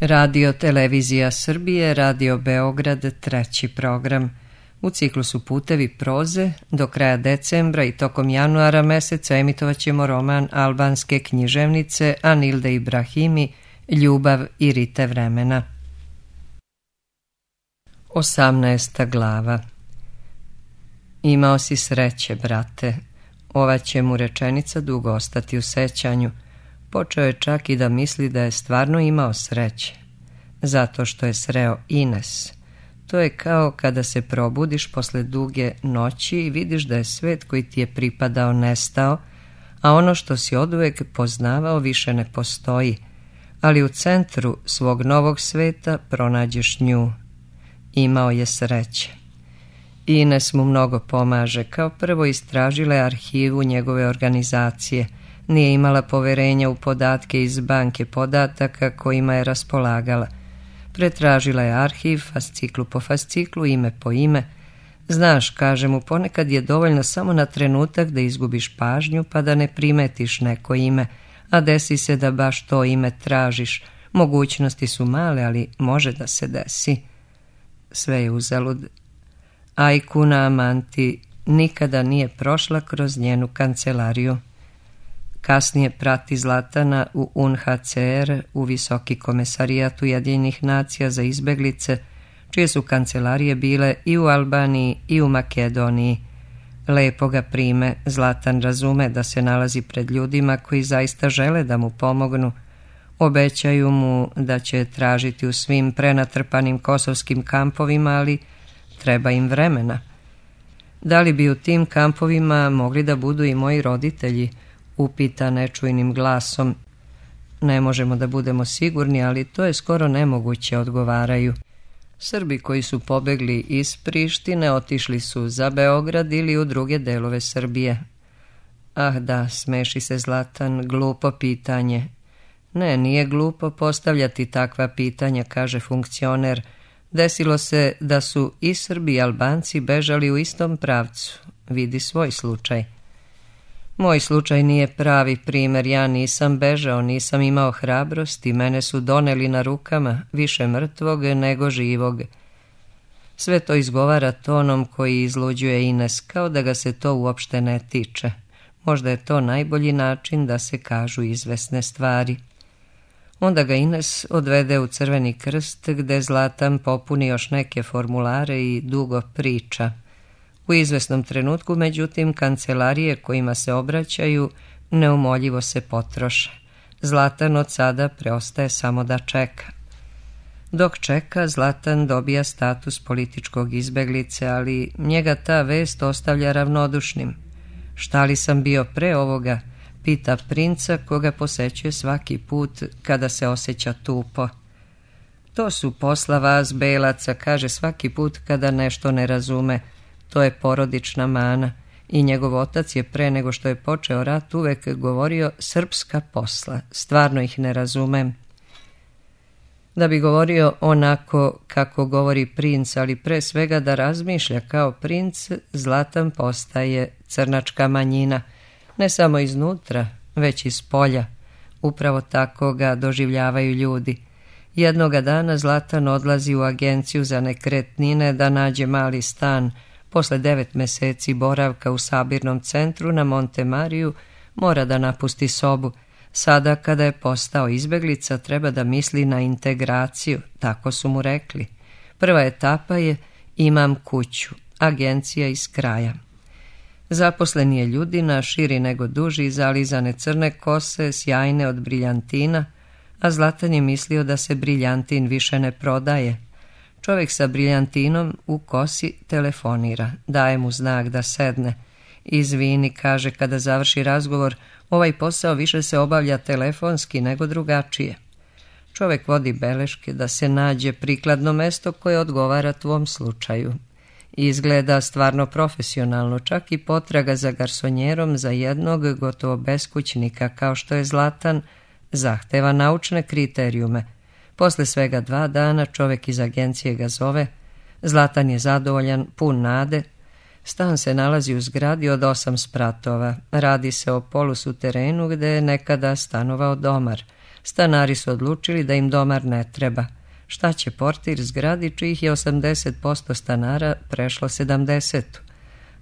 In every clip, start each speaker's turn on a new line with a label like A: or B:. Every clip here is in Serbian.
A: Radio Televizija Srbije, Radio Beograd, treći program. U ciklusu Putevi proze do kraja decembra i tokom januara meseca emitovat ćemo roman albanske književnice Anilde Ibrahimi Ljubav i rite vremena. 18. glava. Imao si sreće, brate. Ova će mu rečenica dugo ostati u sećanju. Počeo je čak i da misli da je stvarno imao sreće. Zato što je sreo Ines. To je kao kada se probudiš posle duge noći i vidiš da je svet koji ti je pripadao nestao, a ono što si oduvek poznavao više ne postoji, ali u centru svog novog sveta pronađeš nju. Imao je sreće. Ines mu mnogo pomaže. Kao prvo istražila je arhivu njegove organizacije. Nije imala poverenja u podatke iz banke podataka kojima je raspolagala. Pretražila je arhiv, fasciklu po fasciklu, ime po ime. Znaš, kaže mu, ponekad je dovoljno samo na trenutak da izgubiš pažnju pa da ne primetiš neko ime, a desi se da baš to ime tražiš. Mogućnosti su male, ali može da se desi. Sve je uzalud. Ajkuna Amanti nikada nije prošla kroz njenu kancelariju. Kasnije prati Zlatana u UNHCR, u Visoki komesarijat Ujedinjenih nacija za izbeglice, čije su kancelarije bile i u Albaniji i u Makedoniji. Lepo ga prime, Zlatan razume da se nalazi pred ljudima koji zaista žele da mu pomognu. Obećaju mu da će tražiti u svim prenatrpanim kosovskim kampovima, ali treba im vremena. Da li bi u tim kampovima mogli da budu i moji roditelji? Upita nečujnim glasom. Ne možemo da budemo sigurni, ali to je skoro nemoguće, odgovaraju. Srbi koji su pobegli iz Prištine otišli su za Beograd ili u druge delove Srbije. Ah da, smeši se Zlatan, glupo pitanje. Ne, nije glupo postavljati takva pitanja, kaže funkcioner. Desilo se da su i Srbi i Albanci bežali u istom pravcu. Vidi svoj slučaj. Moj slučaj nije pravi primer, ja nisam bežao, nisam imao hrabrosti, mene su doneli na rukama, više mrtvog nego živog. Sve to izgovara tonom koji izluđuje Ines, kao da ga se to uopšte ne tiče. Možda je to najbolji način da se kažu izvesne stvari. Onda ga Ines odvede u Crveni krst, gde Zlatan popuni još neke formulare i dugo priča. U izvesnom trenutku, međutim, kancelarije kojima se obraćaju neumoljivo se potroše. Zlatan od sada preostaje samo da čeka. Dok čeka, Zlatan dobija status političkog izbeglice, ali njega ta vest ostavlja ravnodušnim. Šta li sam bio pre ovoga? Pita princa koga posećuje svaki put kada se osjeća tupo. To su posla vas, belaca, kaže svaki put kada nešto ne razume. To je porodična mana i njegov otac je pre nego što je počeo rat uvek govorio srpska posla, stvarno ih ne razumem. Da bi govorio onako kako govori princ, ali pre svega da razmišlja kao princ, Zlatan postaje crnačka manjina, ne samo iznutra, već iz polja. Upravo tako ga doživljavaju ljudi. Jednoga dana Zlatan odlazi u agenciju za nekretnine da nađe mali stan. Posle 9 meseci boravka u sabirnom centru na Monte Mariju mora da napusti sobu. Sada kada je postao izbeglica treba da misli na integraciju, tako su mu rekli. Prva etapa je imam kuću, agencija iz kraja. Zaposlen je ljudina, širi nego duži, zalizane crne kose, sjajne od briljantina, a Zlatan je mislio da se briljantin više ne prodaje. Čovjek sa briljantinom u kosi telefonira, daje mu znak da sedne. Izvini, kaže kada završi razgovor, ovaj posao više se obavlja telefonski nego drugačije. Čovjek vodi beleške da se nađe prikladno mesto koje odgovara tvom slučaju. Izgleda stvarno profesionalno, čak i potraga za garsonjerom za jednog gotovo beskućnika kao što je Zlatan zahteva naučne kriterijume. Posle svega 2 dana čovjek iz agencije ga zove. Zlatan je zadovoljan, pun nade. Stan se nalazi u zgradi od 8 spratova. Radi se o polusuterenu gde je nekada stanovao domar. Stanari su odlučili da im domar ne treba. Šta će portir zgradi čijih je 80% stanara prešlo 70?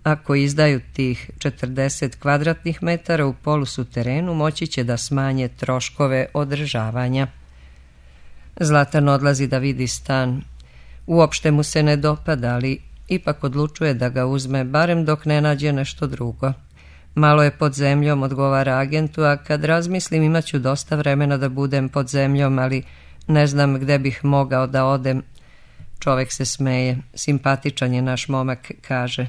A: Ako izdaju tih 40 kvadratnih metara u polusuterenu, moći će da smanje troškove održavanja. Zlatan odlazi da vidi stan. Uopšte mu se ne dopada, ali ipak odlučuje da ga uzme, barem dok ne nađe nešto drugo. Malo je pod zemljom, odgovara agentu, a kad razmislim imaću dosta vremena da budem pod zemljom, ali ne znam gde bih mogao da odem. Čovek se smeje, simpatičan je naš momak, kaže.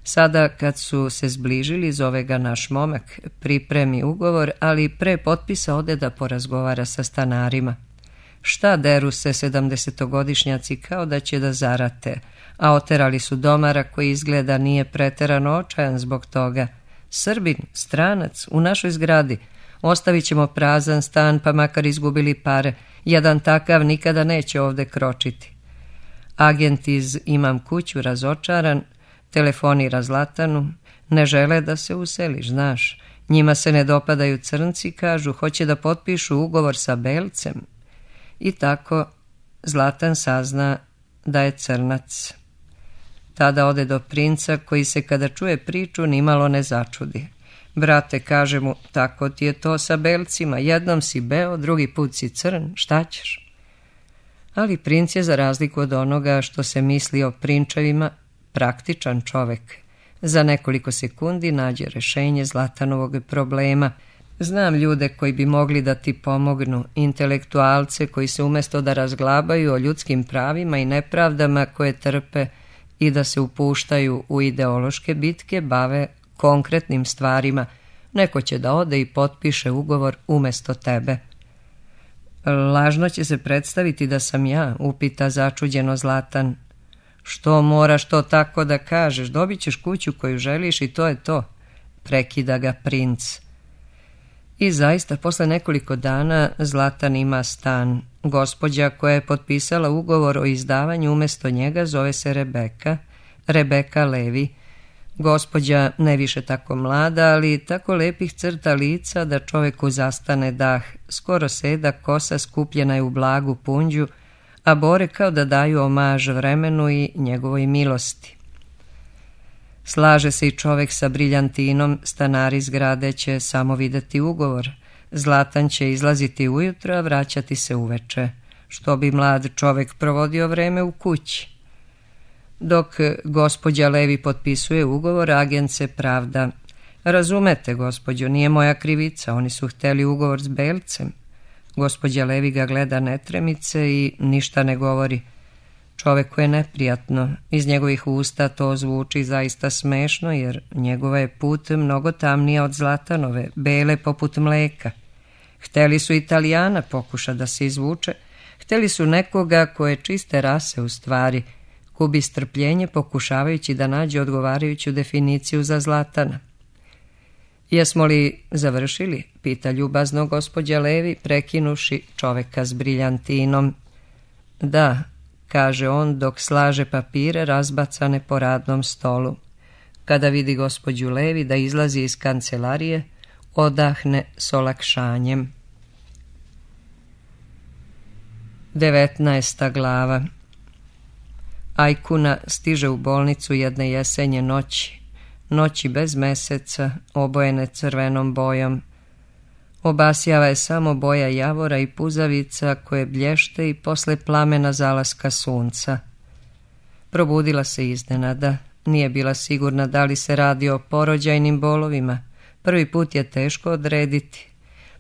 A: Sada kad su se zbližili, zove ga naš momak, pripremi ugovor, ali pre potpisa ode da porazgovara sa stanarima. Šta deru se 70-godišnjaci kao da će da zarate, a oterali su domara koji izgleda nije preterano očajan zbog toga. Srbin, stranac, u našoj zgradi. Ostavit ćemo prazan stan, pa makar izgubili pare. Jedan takav nikada neće ovde kročiti. Agent iz Imam kuću razočaran telefonira Zlatanu. Ne žele da se useliš, znaš. Njima se ne dopadaju crnci, kažu, hoće da potpišu ugovor sa belcem. I tako Zlatan sazna da je crnac. Tada ode do princa koji se kada čuje priču nimalo ne začudi. Brate, kaže mu, tako ti je to sa belcima, jednom si beo, drugi put si crn, šta ćeš? Ali princ je, za razliku od onoga što se misli o prinčevima, praktičan čovek. Za nekoliko sekundi nađe rešenje Zlatanovog problema. Znam ljude koji bi mogli da ti pomognu, intelektualce koji se umesto da razglabaju o ljudskim pravima i nepravdama koje trpe i da se upuštaju u ideološke bitke, bave konkretnim stvarima. Neko će da ode i potpiše ugovor umesto tebe. Lažno će se predstaviti da sam ja, upita začuđeno Zlatan. Što moraš to tako da kažeš, dobit ćeš kuću koju želiš i to je to, prekida ga princ. I zaista, posle nekoliko dana Zlatan ima stan. Gospođa koja je potpisala ugovor o izdavanju umesto njega zove se Rebeka Levi. Gospođa ne više tako mlada, ali tako lepih crta lica da čoveku zastane dah. Skoro seda, kosa skupljena je u blagu punđu, a bore kao da daju omaž vremenu i njegovoj milosti. Slaže se i čovek sa briljantinom, stanari zgrade će samo videti ugovor. Zlatan će izlaziti ujutro, a vraćati se uveče, što bi mlad čovek provodio vreme u kući. Dok gospođa Levi potpisuje ugovor, agent se pravda. Razumete, gospođo, nije moja krivica, oni su hteli ugovor s belcem. Gospođa Levi ga gleda netremice i ništa ne govori. Čoveku je neprijatno, iz njegovih usta to zvuči zaista smešno, jer njegova je put mnogo tamnija od Zlatanove, bele poput mleka. Hteli su Italijana, pokuša da se izvuče, hteli su nekoga koje čiste rase u stvari, gubi strpljenje pokušavajući da nađe odgovarajuću definiciju za Zlatana. Jesmo li završili, pita ljubazno gospođa Levi, prekinuši čoveka s briljantinom. Da, kaže on dok slaže papire razbacane po radnom stolu. Kada vidi gospođu Levi da izlazi iz kancelarije, odahne s olakšanjem. 19. glava. Ajkuna stiže u bolnicu jedne jesenje noći bez meseca, obojene crvenom bojom. Obasjava je samo boja javora i puzavica koje blješte i posle plamena zalaska sunca. Probudila se iznenada, nije bila sigurna da li se radi o porođajnim bolovima. Prvi put je teško odrediti.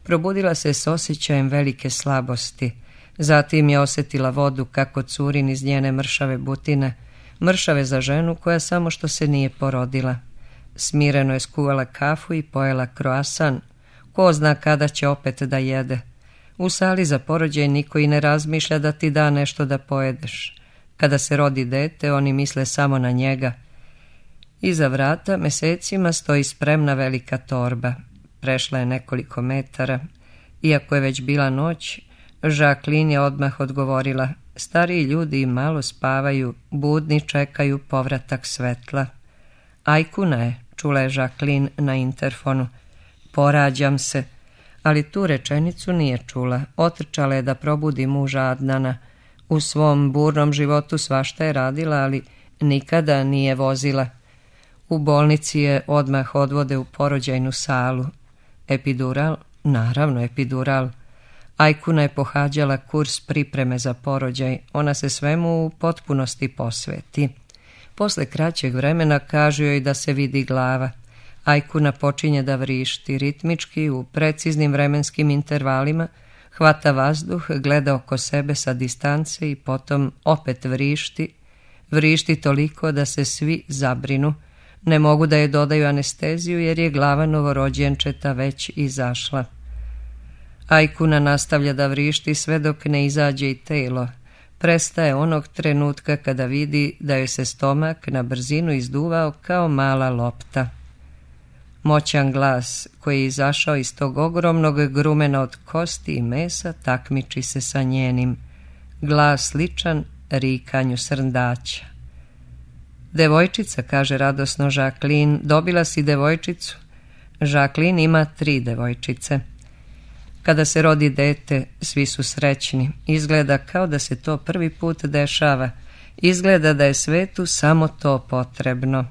A: Probudila se s osjećajem velike slabosti. Zatim je osjetila vodu kako curin iz njene mršave butine, mršave za ženu koja samo što se nije porodila. Smireno je skuvala kafu i pojela kroasan. Ko zna kada će opet da jede. U sali za porođaj niko i ne razmišlja da ti da nešto da pojedeš. Kada se rodi dete, oni misle samo na njega. Iza vrata mesecima stoji spremna velika torba. Prešla je nekoliko metara. Iako je već bila noć, Jacqueline je odmah odgovorila: stariji ljudi malo spavaju, budni čekaju povratak svetla. Ajkuna je, čula je Jacqueline na interfonu. Porađam se. ali tu rečenicu nije čula. Otrčala je da probudi muža Adnana. U svom burnom životu svašta je radila, ali nikada nije vozila. U bolnici je odmah odvode u porođajnu salu. Epidural? Naravno, epidural. Ajkuna je pohađala kurs pripreme za porođaj. Ona se svemu u potpunosti posveti. Posle kraćeg vremena kažu joj da se vidi glava. Ajkuna počinje da vrišti ritmički u preciznim vremenskim intervalima, hvata vazduh, gleda oko sebe sa distance i potom opet vrišti. Vrišti toliko da se svi zabrinu. Ne mogu da je dodaju anesteziju jer je glava novorođenčeta već izašla. Ajkuna nastavlja da vrišti sve dok ne izađe i telo. Prestaje onog trenutka kada vidi da joj se stomak na brzinu izduvao kao mala lopta. Moćan glas koji je izašao iz tog ogromnog grumena od kosti i mesa takmiči se sa njenim. Glas sličan rikanju srndaća. Devojčica, kaže radosno Jacqueline, dobila si devojčicu. Jacqueline ima 3 devojčice. Kada se rodi dete, svi su srećni. Izgleda kao da se to prvi put dešava. Izgleda da je svetu samo to potrebno.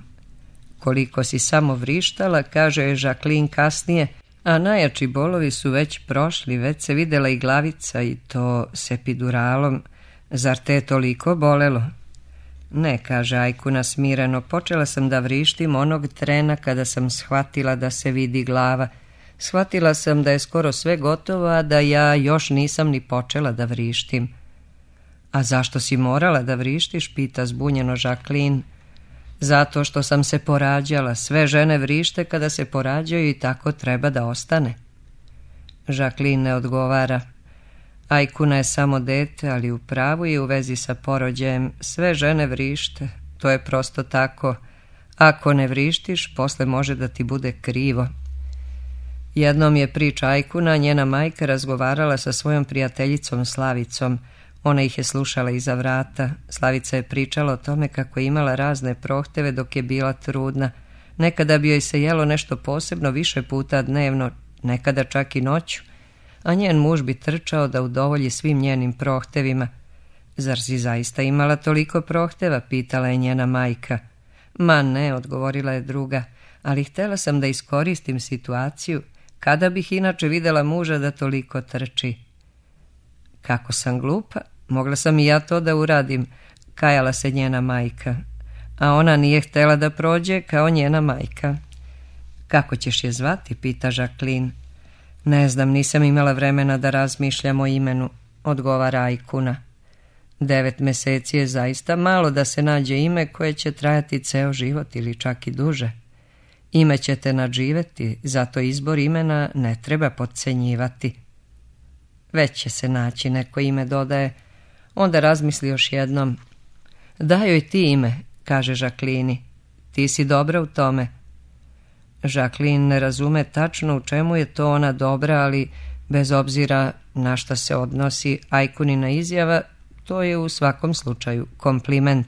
A: Koliko si samo vrištala, kaže je Jacqueline kasnije, a najjači bolovi su već prošli, već se videla i glavica i to s epiduralom. Zar te je toliko bolelo? Ne, kaže Ajkuna smireno, počela sam da vrištim onog trena kada sam shvatila da se vidi glava. Shvatila sam da je skoro sve gotovo, a da ja još nisam ni počela da vrištim. A zašto si morala da vrištiš, pita zbunjeno Jacqueline. Zato što sam se porađala, sve žene vrište kada se porađaju i tako treba da ostane. Jacqueline ne odgovara. Ajkuna je samo dete, ali u pravu je u vezi sa porođajem. Sve žene vrište, to je prosto tako. Ako ne vrištiš, posle može da ti bude krivo. Jednom je priča Ajkuna, njena majka razgovarala sa svojom prijateljicom Slavicom. Ona ih je slušala iza vrata. Slavica je pričala o tome kako je imala razne prohteve dok je bila trudna. Nekada bi joj se jelo nešto posebno više puta dnevno, nekada čak i noću, a njen muž bi trčao da udovolji svim njenim prohtevima. Zar si zaista imala toliko prohteva, pitala je njena majka. Ma ne, odgovorila je druga, ali htjela sam da iskoristim situaciju, kada bih inače videla muža da toliko trči. Kako sam glupa, mogla sam i ja to da uradim, kajala se njena majka, a ona nije htjela da prođe kao njena majka. Kako ćeš je zvati, pita Jacqueline. Ne znam, nisam imala vremena da razmišljam o imenu, odgovara Ajkuna. 9 meseci je zaista malo da se nađe ime koje će trajati ceo život ili čak i duže. Ime ćete nadživeti, zato izbor imena ne treba potcenjivati. Već će se naći neko ime, dodaje. Onda razmisli još jednom. Daj joj ti ime, kaže Jacqueline. Ti si dobra u tome. Jacqueline ne razume tačno u čemu je to ona dobra, ali bez obzira na šta se odnosi Ajkunina izjava, to je u svakom slučaju kompliment.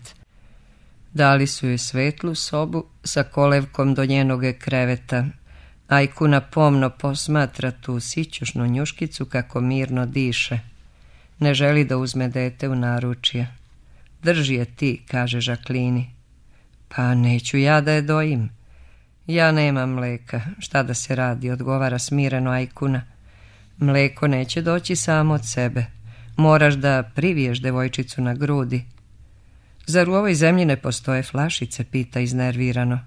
A: Dali su joj svetlu sobu sa kolevkom do njenog kreveta. Ajkuna pomno posmatra tu sićušnu njuškicu kako mirno diše. Ne želi da uzme dete u naručje. Drži je ti, kaže Jacqueline. Pa neću ja da je dojim. Ja nemam mleka, šta da se radi, odgovara smireno Ajkuna. Mleko neće doći samo od sebe. Moraš da priviješ devojčicu na grudi. Zar u ovoj zemlji ne postoje flašice, pita iznervirano.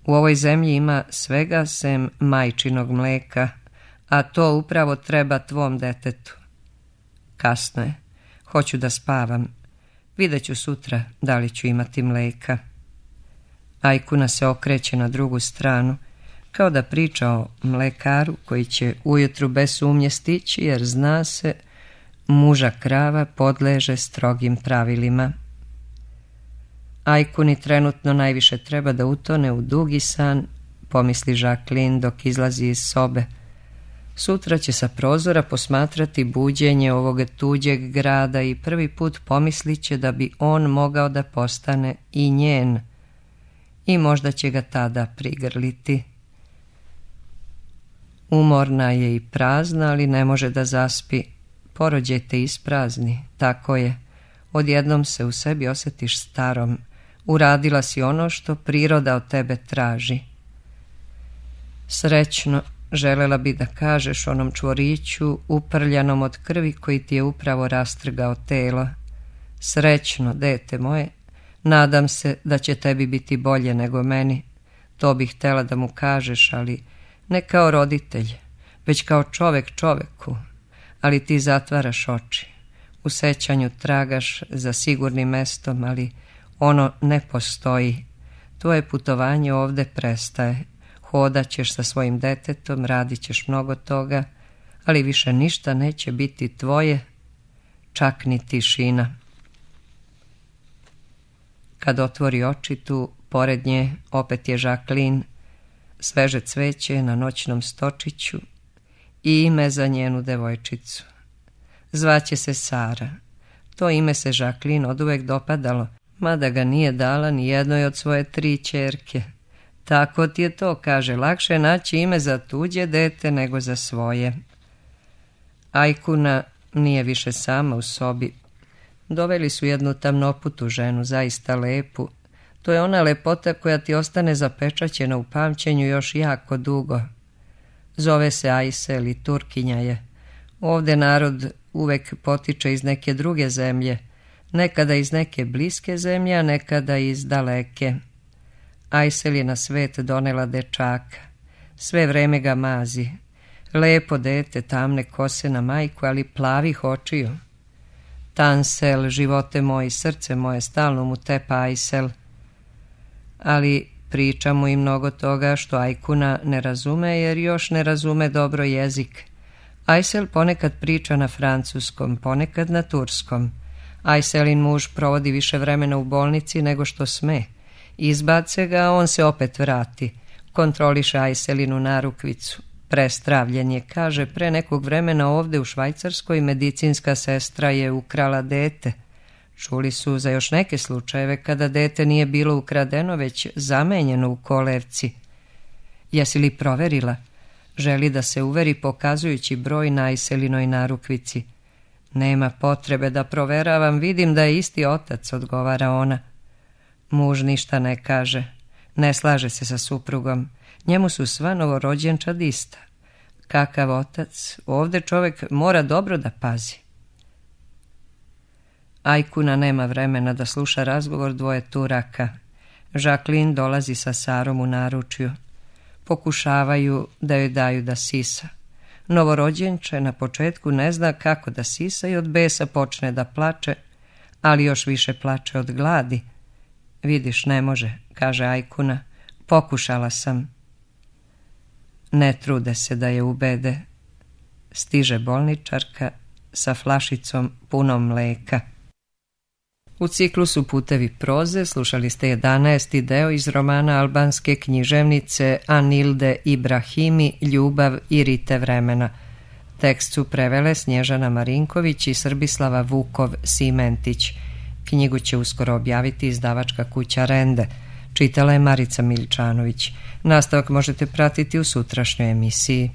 A: U ovoj zemlji ima svega sem majčinog mleka, a to upravo treba tvom detetu. Kasno je. Hoću da spavam. Vidjet ću sutra da li ću imati mleka. Ajkuna se okreće na drugu stranu, kao da priča o mlekaru koji će ujutru bez sumnje stići, jer zna se, muža krava podleže strogim pravilima. Ajkuni trenutno najviše treba da utone u dugi san, pomisli Jacqueline dok izlazi iz sobe. Sutra će sa prozora posmatrati buđenje ovog tuđeg grada i prvi put pomislit će da bi on mogao da postane i njen. I možda će ga tada prigrliti. Umorna je i prazna, ali ne može da zaspi. Porođaj te isprazni, tako je. Odjednom se u sebi osjetiš starom. Uradila si ono što priroda od tebe traži. Srećno, želela bi da kažeš onom čvoriću uprljanom od krvi koji ti je upravo rastrgao telo. Srećno, dete moje, nadam se da će tebi biti bolje nego meni. To bih htjela da mu kažeš, ali ne kao roditelj, već kao čovek čoveku. Ali ti zatvaraš oči. U sećanju tragaš za sigurnim mestom, ali ono ne postoji. Tvoje putovanje ovde prestaje. Hodat ćeš sa svojim detetom, radit ćeš mnogo toga, ali više ništa neće biti tvoje, čak ni tišina. Kad otvori oči tu, pored nje opet je Jacqueline, sveže cveće na noćnom stočiću i ime za njenu devojčicu. Zvaće se Sara. To ime se Jacqueline oduvek dopadalo, mada ga nije dala ni jednoj od svoje 3 ćerke. Tako ti je to, kaže, lakše naći ime za tuđe dete nego za svoje. Ajkuna nije više sama u sobi. Doveli su jednu tamnoputu ženu, zaista lepu. To je ona lepota koja ti ostane zapečaćena u pamćenju još jako dugo. Zove se Aysel i Turkinja je. Ovde narod uvek potiče iz neke druge zemlje, nekada iz neke bliske zemlje, a nekada iz daleke. Aysel je na svet donela dečaka. Sve vreme ga mazi. Lepo dete, tamne kose na majku, ali plavih očiju. Tansel, živote moji, srce moje, stalno mu tepa Aysel. Ali priča mu i mnogo toga što Ajkuna ne razume, jer još ne razume dobro jezik. Aysel ponekad priča na francuskom, ponekad na turskom. Ayselin muž provodi više vremena u bolnici nego što sme. Izbace ga, a on se opet vrati. Kontroliše Ayselinu narukvicu. Prestravljen je, kaže, pre nekog vremena ovde u Švajcarskoj medicinska sestra je ukrala dete. Čuli su za još neke slučajeve kada dete nije bilo ukradeno, već zamenjeno u kolevci. Jesi li proverila? Želi da se uveri pokazujući broj na Ayselinoj narukvici. Nema potrebe da proveravam, vidim da je isti otac, odgovara ona. Muž ništa ne kaže, ne slaže se sa suprugom. Njemu su sva novorođenčad ista. Kakav otac, ovde čovek mora dobro da pazi. Ajkuna nema vremena da sluša razgovor dvoje Turaka. Jacqueline dolazi sa Sarom u naručju. Pokušavaju da joj daju da sisa. Novorođenče na početku ne zna kako da sisa i od besa počne da plače, ali još više plače od gladi. Vidiš, ne može, kaže Ajkuna. Pokušala sam. Ne trude se da je ubede. Stiže bolničarka sa flašicom punom mleka. U ciklusu Putevi proze slušali ste 11. deo iz romana albanske književnice Anilde Ibrahimi Ljubav i rite vremena. Tekst su prevele Snježana Marinković i Srbislava Vukov-Simentić. Knjigu će uskoro objaviti izdavačka kuća Rende. Čitala je Marica Miličanović. Nastavak možete pratiti u sutrašnjoj emisiji.